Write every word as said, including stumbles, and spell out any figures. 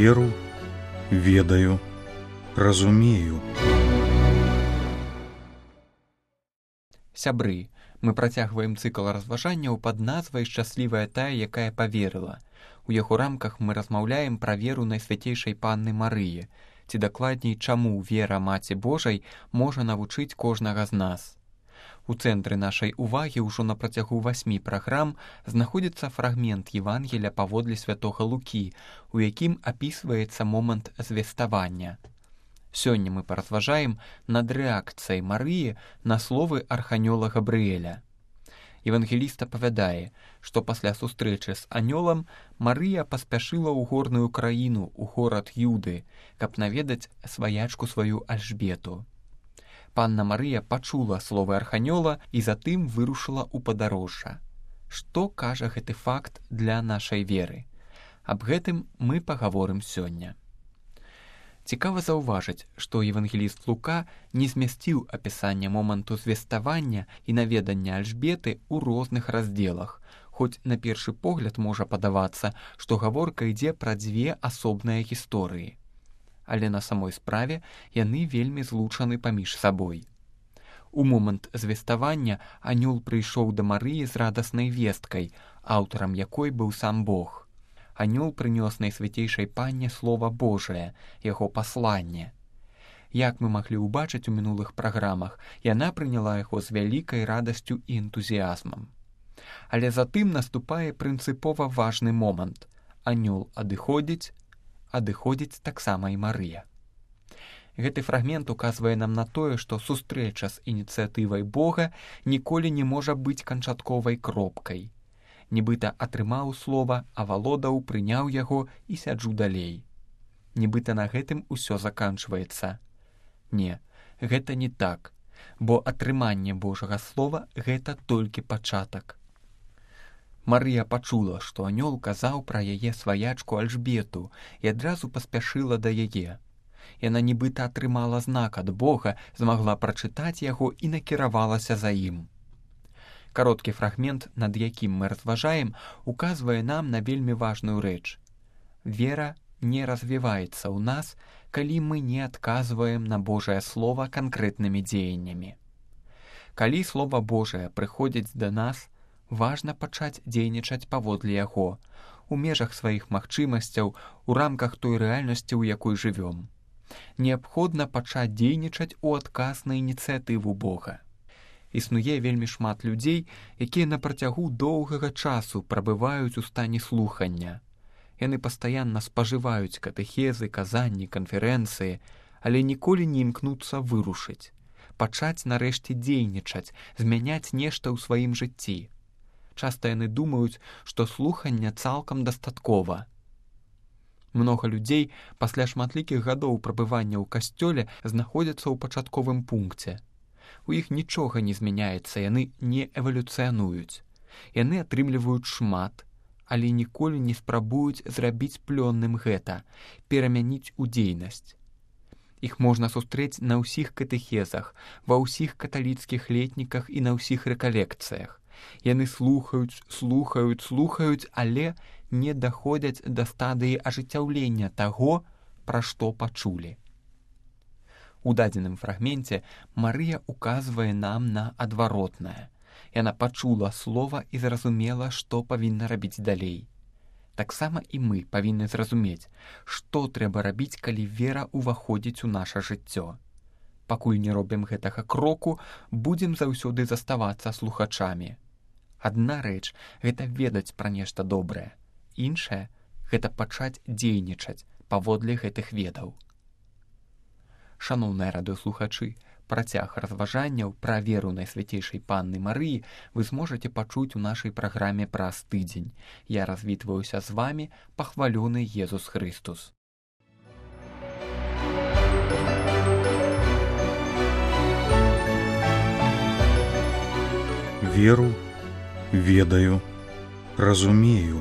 Веру, ведаю, разумею. Сябры, мы працягваем цыкл разважанняў пад назвай «Шчаслівая тая, якая паверыла». У яго рамках мы размаўляем пра веру Найсвяцейшай Панны Марыі, ці дакладней, чаму вера Маці Божай можа навучыць кожнага з нас. У цэнтры нашай увагі ўжо на працягу васьмі праграм знаходзіцца фрагмент Евангелля паводле святога Лукі, у якім апісваецца момант звеставання. Сёння мы паразважаем над рэакцыяй Марыі на словы арханёла Габрыэля. Евангеліст апавядае, што пасля сустрэчы з анёлам Марыя паспяшыла ў горную краіну, у горад Юды, каб наведаць сваячку сваю Альжбету. Панна Марыя пачула словы арханёла і затым вырушыла ў падарожжа. Што кажа гэты факт для нашай веры? Аб гэтым мы пагаворым сёння. Цікава заўважыць, што евангеліст Лука не змясціў апісанне моманту звеставання і наведання Альжбеты ў розных раздзелах, хоць на першы погляд можа падавацца, што гаворка ідзе пра дзве асобныя гісторыі. Але на самой справе яны вельмі злучаны паміж сабой. У момант звеставання анёл прыйшоў да Марыі з радаснай весткай, аўтарам якой быў сам Бог. Анёл прынёс Найсвяцейшай Панне Слова Божае, яго пасланне. Як мы маглі ўбачыць у мінулых праграмах, яна прыняла яго з вялікай радасцю і энтузіязмам. Але затым наступае прынцыпова важны момант. Анёл адыходзіць, адыходзіць таксама і Марыя. Гэты фрагмент указвае нам на тое, што сустрэча з ініцыятывай Бога ніколі не можа быць канчатковай кропкай. Нібыта атрымаў слова, авалодаў, прыняў яго і сяджу далей. Нібыта на гэтым усё заканчваецца. Не, гэта не так, бо атрыманне Божага слова – гэта толькі пачатак. Марыя пачула, што анёл казаў пра яе сваячку Альжбету і адразу паспяшыла да яе. Яна нібыта атрымала знак ад Бога, змагла прачытаць яго і накіравалася за ім. Кароткі фрагмент, над якім мы разважаем, указвае нам на вельмі важную рэч. Вера не развіваецца ў нас, калі мы не адказваем на Божае Слова канкрэтнымі дзеяннямі. Калі Слова Божае прыходзіць да нас, важна пачаць дзейнічаць паводле яго, у межах сваіх магчымасцяў, у рамках той рэальнасці, у якой жывём. Неабходна пачаць дзейнічаць у адказ на ініцыятыву Бога. Існуе вельмі шмат людзей, якія на працягу доўгага часу прабываюць у стане слухання. Яны пастаянна спажываюць катэхезы, казанні, канферэнцыі, але ніколі не імкнуцца вырушыць, пачаць нарэшце дзейнічаць, змяняць нешта ў сваім жыцці. Часта яны думаюць, што слухання цалкам дастаткова. Многа людзей пасля шматлікіх гадоў прабывання ў касцёле знаходзяцца ў пачатковым пункце. У іх нічога не змяняецца, яны не эвалюцыянуюць. Яны атрымліваюць шмат, але ніколі не спрабуюць зрабіць плённым гэта, перамяніць у дзейнасць. Іх можна сустрэць на ўсіх катэхезах, ва ўсіх каталіцкіх летніках і на ўсіх рэкалекцыях. Яны слухаюць, слухаюць, слухаюць, але не даходзяць да стадыі ажыццяўлення таго, пра што пачулі. У дадзеным фрагменце Марыя указвае нам на адваротнае. Яна пачула слова і зразумела, што павінна рабіць далей. Таксама і мы павінны зразумець, што трэба рабіць, калі вера ўваходзіць у наша жыццё. Пакуль не робім гэтага кроку, будзем заўсёды заставацца слухачамі. Адна рэч – гэта ведаць пра нешта добрае. Іншая – гэта пачаць дзейнічаць паводле гэтых ведаў. Шаноўныя радыёслухачы, працяг разважанняў пра веру Найсвяцейшай Панны Марыі вы зможаце пачуць у нашай праграме праз тыдзень. Я развітваюся з вамі, пахвалёны Езус Хрыстус. Веру, ведаю, разумею.